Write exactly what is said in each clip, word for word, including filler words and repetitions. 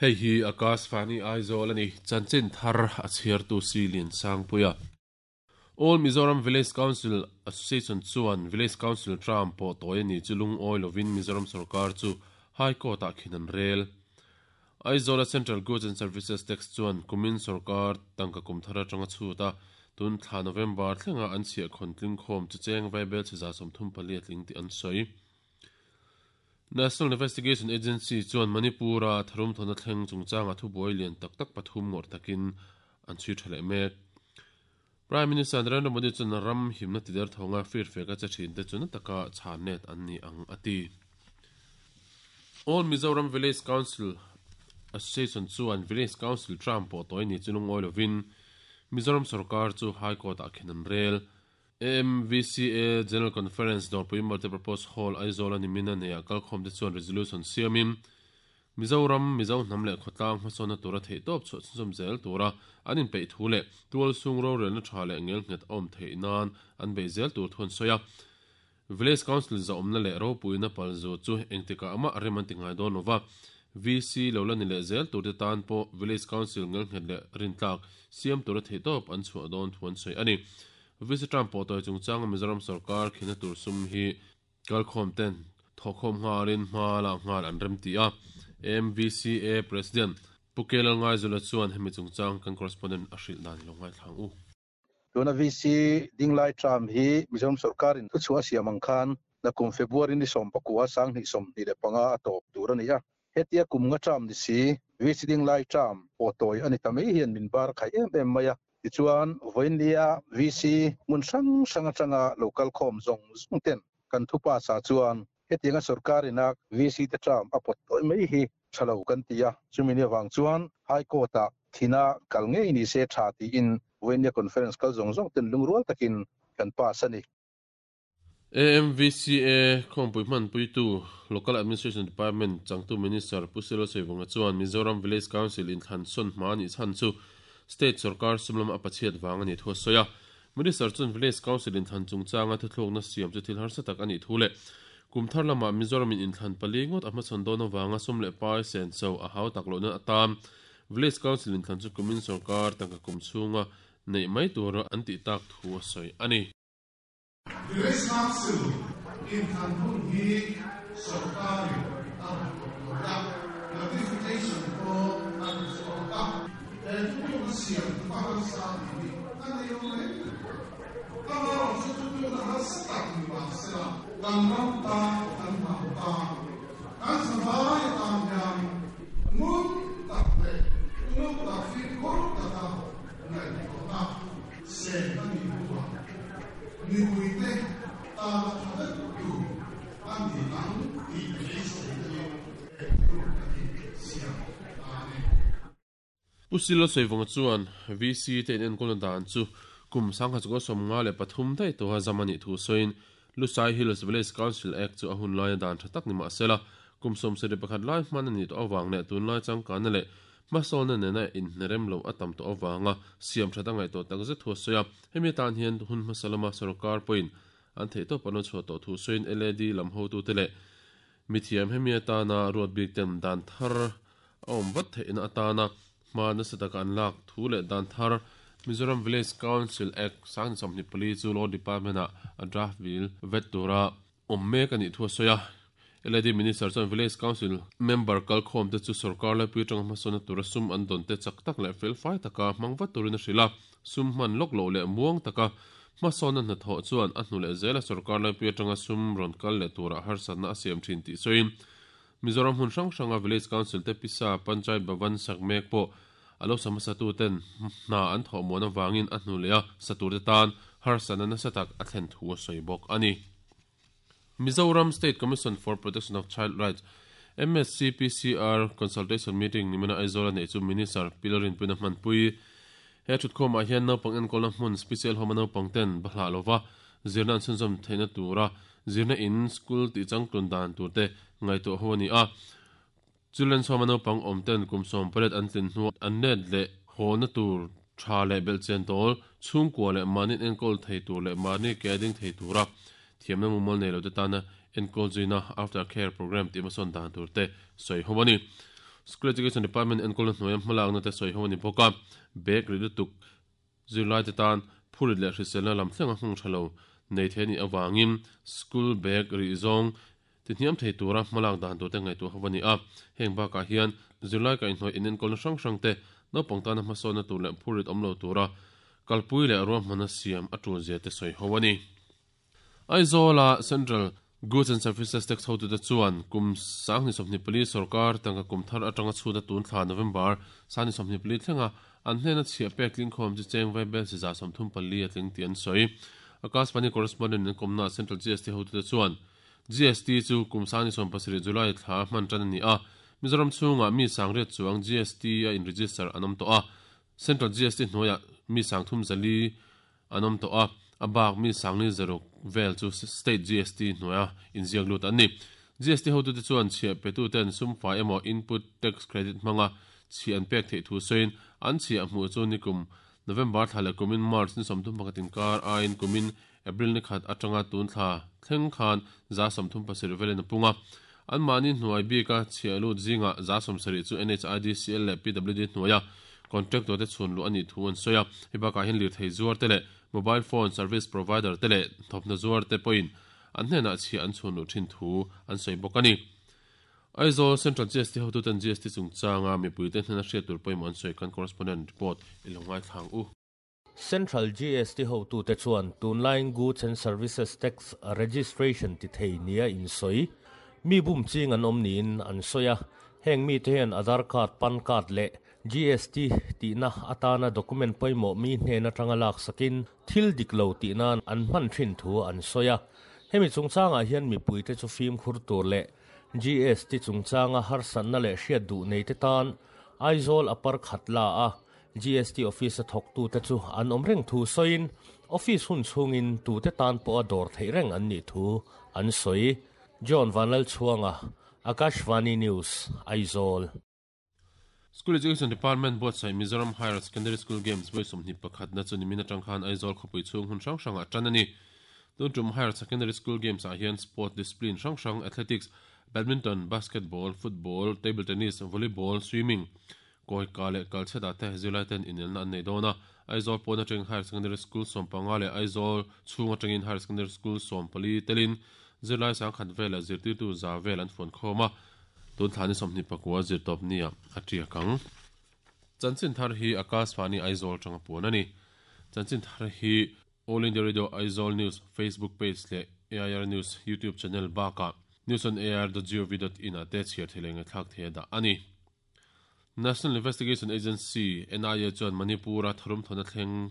Hei hi Akashvani Aizawl ani chanchin thar a chhiartu Silin Sangpuia. All Mizoram Village Council Association chuan Village Council term pawh tawi ani chu lungawi lovin Mizoram sarkar chu High Court ah khin an rel. Aizawl Central Goods and Services Tax chuan kumin sarkar tangka kum thar atanga chuta tun thla November thlenga an chhia khon tling khawm chu cheng vaibel cheza sawmthum pali a tling tih an sawi. National Investigation Agency chuan Manipura tharum thona thleng chungchanga thubuai lian tak tak pathum ngawr takin an chhui tha leh mek. Prime Minister Narendra Modi chuan ram himna tider thonga fir feka che thin te chu na taka chhan net an ni ang ati. All Mizoram Village Council Association chuan Village Council term pawh tawi ni chu lungawi lovin Mizoram sarkar chu High Court ah khin an rel. A M V C A General Conference Dawrpui Multipurpose Hall Aizawl ani mina neia kalkhawm te chuan resolution siamin Mizoram Mizo hnam leh khawtlang hmasawnna tura theih tawp chhuah chhunzawm zel tura an inpeih thu leh tual sung rorelna tha leh ngel nghet awm theih nan an bei zel tur thu an sawi a. Village Council zawmna leh ropuina palzu chu engtikah amah rem an ti ngai dawn lova. V C lo la ni leh zel tur te tan pawh Village Council ngel nghet leh rintlak siam tura theih tawp an chhuah dawn thu an sawi ani. V C term pawh tawi chungchanga Mizoram sarkar khina tur sum hi kalkhawm ten thawkhawm nghalin hma la nghal an rem ti a. M V C A President Pukelal Ngaizula chuan hemi chungchang kan correspondent a hrilh dan lo ngai thlang u. Tuna V C dinglai term hi Mizoram sarkarin thu chhuah siam ang khan na kum February ni sawm pakua sang hnih sawm hnih leh panga a tawp tur ani a. Hetia kum nga term ni si V C dinglai term pawh tawi ani ta mai hian min bar khai em em mai a. Tichuan voinlia V C mun hrang hrang atanga local khawm zawng zawng ten kan thupa sa chuan hetianga sarkarina V C te term a pawt tawi mai hi thalo kan ti a. Chumi ni awang chuan High Court ah thina kal ngei ni se tha tiin voinlia conference kal zawng zawng ten lungrual takin kan pass ani. A M V C A khawmpui hman puitu Local Administration Department changtu Minister Pusilo Seivunga chuan Mizoram Village Council in thlan sawn hma ni chhan chu State sarkar sumlam a pachiat wang ani thu soya. Minister chuan Village Council in thlan chungchanga thuthlukna siam chu thil harsa tak ani thu le kumthar lama Mizoram in thlan pali ngot a hmachhawn dawn awanga sum leh pai sen so a hau tak lohna atam Village Council in thlan chu kumin sarkar tangka kum chhunga nei mai tura an ti tak thu a sawi ani. Village Council in thlan hun hi sarkarin a rawn tawp lo a, notification pawh a ti chhuak a. He thutlukna siam a harsa tih hi a nei lo mai. Amaherawh chu thutlukna harsa tak ni mahsela kan ram tan, kan hnam tan, kan zavai atan hian ngun tak leh uluk tak fimkhur taka ngaihtuahna sen a nih hnuah mipuite tana tha vek tur a ni ang tih beiseina in he thutlukna hi siam ta a ni. Pusilo Seivunga chuan V C te in enkawlna dan chu kum sangha chu sawm nga leh pathum daih tawha zamani thu sawiin Lusai Hills Village Council Act chu a hun laia dan tha tak ni mahsela kum sawm sarih pakhat lai hman ani tawh awang leh tunlai changkana leh hmasawna nena inhnerem lo a tam tawh awanga siam tha ta ngaih tawh tak zet thu a sawi a. Hemi tan hian hun hmasa lama sarkar pawhin an theih tawp an chhuah tawh thu sawiin L A D lam hotu te leh mithiam hemi atana ruat bik ten dan thar a awm vat theihna atana hma nasa taka an lak thu leh dan thar Mizoram Village Council Act sang sawmhnih pali chu Law Department ah a draft bill vet tura awm mek ani thu a sawi a. L A D Minister chuan Village Council member kalkhawm te chu sarkar laipui atanga hmasawna tura sum an dawn te chak tak leh fel fai taka hmang vat turin a hrilh a. Sum hman lawk loh leh muang taka hmasawna hna thawh chuan a hnu leh zela sarkar laipui atanga sum rawn kal leh tura harsatna a siam thin tih sawiin Mizoram hun hrang hranga Village Council te pisa Panchayat Bhavan sak mek pawh alo samasa tu ten hna an thawh muan awangin a hnu leh a satur te tan harsatna nasa tak a thlen thu a sawi bawk ani. Mizoram State Commission for Protection of Child Rights M S C P C R consultation meeting nimina Aizawl nei chu Minister Pilarin Puna hmanpui he thutkhawmah hian naupang enkawlna hmun special home a naupang ten bahlah lova zirna an chhunzawm theihna tura zirna in school tih changtlun dan tur te ngaihtuah ho ani a. Children's home a naupang awm ten kum sawm pariat an tlin hnu an let leh hawlna tur tha leh belhchian tawl chhungkua leh mahni enkawl thei tur leh mahni ke ding thei tura thiamna mumal nei lo te tana enkawl zuina after care program tih hmasawn dan tur te sawi ho ani. School Education Department enkawlna hnuaia hmalakna te sawi ho a ni bawk a, bag ri lutuk zirlai te tan phurit leh hriselna lam thlenga hmang tha lo nei thei anih avangin school bag ri zawng ti hniam thei tura hmalak dan tur te ngaihtuah ho a ni a. Heng bakah hian zirlai kaihhnawih in enkawlna hrang hrang te naupang tana hmasawnna tur leh phurit awm lo tura kalpui leh ruahmanna siam a tul zia te sawi ho a ni. Aizawl-a Central Goods and Services Tax hotu te chuan kum sanghnih sawmhnih pali sarkar tangka kum thar atanga chhut a tun thla November sanghnih sawmhnih pali thlenga an hnena chhiah pek tling khawm chu cheng vai bel si za sawmthum pali a tling tih an sawi. Akashvani correspondent in kawmna Central G S T hotu te chuan G S T chu kum sanghnih sawm pasarih July thla hman tan a ni a, Mizoram chhungah mi sangriat chuang G S T a in register an awm tawh a, Central G S T hnuaiah mi sangthum zali an awm tawh a, a bak mi sangli zaruk vel chu State G S T hnuaia inziak lut an ni. G S T hotu te chuan chhiah petu ten sumfai emaw input tax credit hmanga chhiah an pek theih thu sawiin an chhiah hmuh chu nikum November thla leh kumin March ni sawmthum pakhat inkar aiin kumin April ni khat atanga tun thla thleng khan za sawmthum pasarih velin a pung a. An mahni hnuai bika chhiah lut zingah za sawmsarih chu N H I D C L leh P W D hnuaia contractor te chhun luh a nih thu an sawi a. Hei bakah hian lirthei zuar te leh mobile phone service provider te leh thawmhnaw zuar te pawhin an hnenah chhiah an chhun luh thin thu an sawi bawk a ni. Aizawl Central G S T hotu ten G S T chungchanga mipui te hnena hriat tur pawimawh an sawi kan correspondent report i lo ngai thlang u. Central G S T hotu te chuan tunlaiin Goods and Services Tax Registration ti thei nia in sawi. Mi bum ching an awm niin an sawi a, heng mi te hian Aadhaar card, PAN card leh G S T tihna atana document pawimawh mi hnen atanga lak sakin thil dik lo tihnan an hman thin thu an sawi a. Hemi chungchangah hian mipui te chu fim khur tur leh G S T chungchanga harsatna leh hriat duh nei te tan Aizawl upper khat la a G S T office a thawk tu te chu an awm reng thu sawiin office hun chhungin tu te tan pawh a dawr theih reng an nih thu an sawi. John Vanlal Chuanga, Akashvani News, Aizawl. School Education Department buatsaih Mizoram Higher Secondary School Games vawi sawmhnih pakhat na chu nimin atang khan Aizawl khawpui chhung hun hrang hrangah tan a ni. Tun tum Higher Secondary School Games ah hian sport discipline hrang hrang athletics, badminton, basketball, football, table tennis, volleyball, swimming, kawika leh kalchhetah te zirlai ten inelna an nei dawn a. Aizawl pawn atangin Higher Secondary School sawm panga leh Aizawl chhung atangin Higher Secondary School sawm pali telin zirlai sangkhat vel leh zirtirtu za vel an fuan khawm a. Tun thla ni sawmhnih pakua zirtawp nia a tiak ang. Chanchin thar hi Akashvani Aizawl tanga puan a ni. Chanchin thar hi All India Radio Aizawl News Facebook page leh A I R News YouTube channel bakah news on A I R dot gov dot in a te chhiar thei leh ngaithlak thei a dah a ni. National Investigation Agency N I A chuan Manipura tharum thawna thleng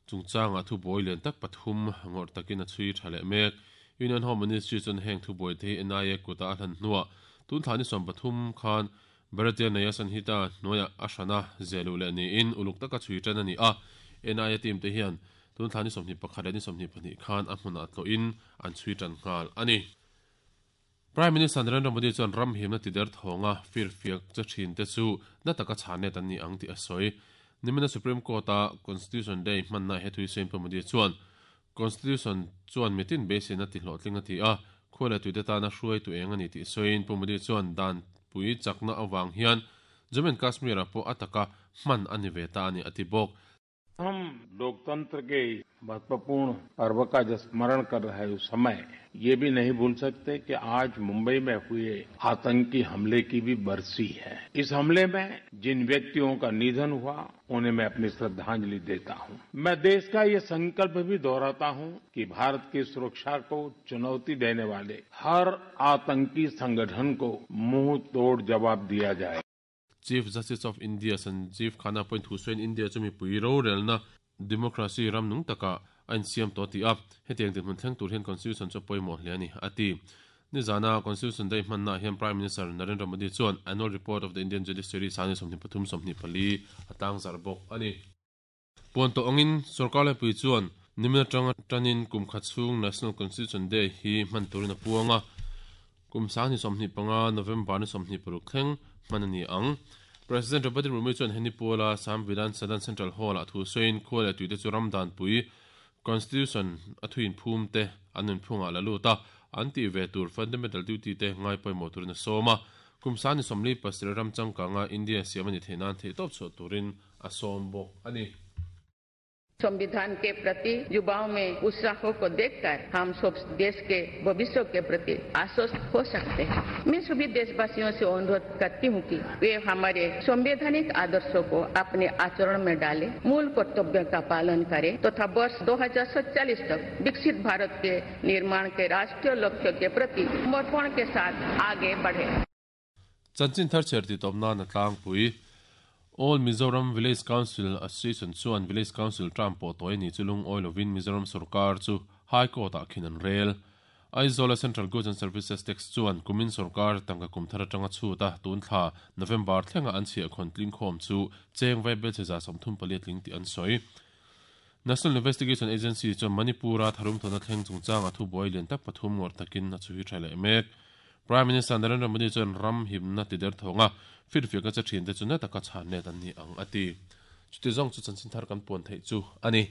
chungchanga thu buai lian tak pathum ngawrh takin a chhui tha leh mek. Union Home Ministry chuan heng thu buai te hi N I A kuta a hlan hnuah tun thla ni sawm pathum khan Bharatiya Nyaya Sanhita hnuaiah a hrana zelu leh niin uluk taka chhui tan a ni a. N I A team te hian tun thla ni sawmhnih pakhat leh ni sawmhnih pahnih khan a hmunah tlawhin an chhui tan nghal a ni. Prime Minister Narendra Modi chuan ram himna ti der thawnga fir fiak che thin te chu na taka chhanet an ni ang tih a sawi. Nimina Supreme Court a Constitution Day hmanna he thui sawiin Pu Modi chuan Constitution chuan mitin beiseina ti hlawhtling a ti a, khuala tuite tana hruai tu eng a ni tih sawiin Pu Modi chuan dan pui chakna awang hian Jammu and Kashmir ah pawh a taka hman a ni ve ta a ni a ti bawk. हम लोकतंत्र के महत्वपूर्ण पर्व का जो स्मरण कर रहे हैं उस समय ये भी नहीं भूल सकते कि आज मुंबई में हुए आतंकी हमले की भी बरसी है। इस हमले में जिन व्यक्तियों का निधन हुआ उन्हें मैं अपनी श्रद्धांजलि देता हूं। मैं देश का ये संकल्प भी दोहराता हूं कि भारत की सुरक्षा को चुनौती देने वाले हर आतंकी संगठन को मुंह तोड़ जवाब दिया जाए। Chief Justice of India Sanjeev Khanna point Hussain India chumi pui ro relna democracy ram nung taka ain siam to ti a hetiang tin hun thleng tur hian constitution chu pawimawh hle ani ati. Ni zana Constitution Day hmanna hian Prime Minister Narendra Modi chuan Annual Report of the Indian Judiciary sani sawmhnih pathum sawmhnih pali atang zar bawk ani. Puan to angin sarkar lai pui chuan nimina tanga tanin kum khat chhung National Constitution Day hi hman turin a puanga kum sangni sawmhnih panga November ni sawmhnih paruk thleng hman ani ang. President Draupadi Murmu chuan heni Pula Samvidhan Sadan Central Hall a thu sawiin khuala tuite chu ramdan pui Constitution a thuin phum te anun phunga la luta an ti ve tur fundamental duty te ngai pawimawh turin a sawm a. Kumsani somli pasir ram changkanga India siamani theinan thei top chu turin a som bawk ani. संविधान के प्रति युवाओं में उत्साह को देखकर हम सब देश के भविष्य के प्रति आश्वस्त हो सकते हैं। मैं सभी देशवासियों से अनुरोध करती हूँ कि वे हमारे संवैधानिक आदर्शों को अपने आचरण में डालें, मूल कर्तव्य का पालन करें तथा वर्ष दो हजार सत्ताईस तक विकसित भारत के निर्माण के राष्ट्रीय लक्ष्य के प्रति समर्पण के साथ आगे बढ़े। Chanchin thar cher ti tawpna na tlangpui All Mizoram Village Council Association chuan Village Council term pawh tawi ni chulung oilovin Mizoram Sarkar chu High Court ah khin an rel. Aizawl Central Goods and Services Tax chuan kumin sarkar tangka kum thar atanga chuta tun thla November thlenga an chhia khon tling khom chu cheng vai bel cheza sawmthum paliat ling ti an sawi. National Investigation Agency chuan Manipura tharum thona thleng chungchang a thu buai lian tak pathum ngawr takin a chhui tha leh mek. Prime Minister Narendra Modi chuan ram himna ti der thonga firfiak a che thin te chu na taka chhan net an ni ang ati. Chuti zawng chu chanchin thar kan puan theih chu ani.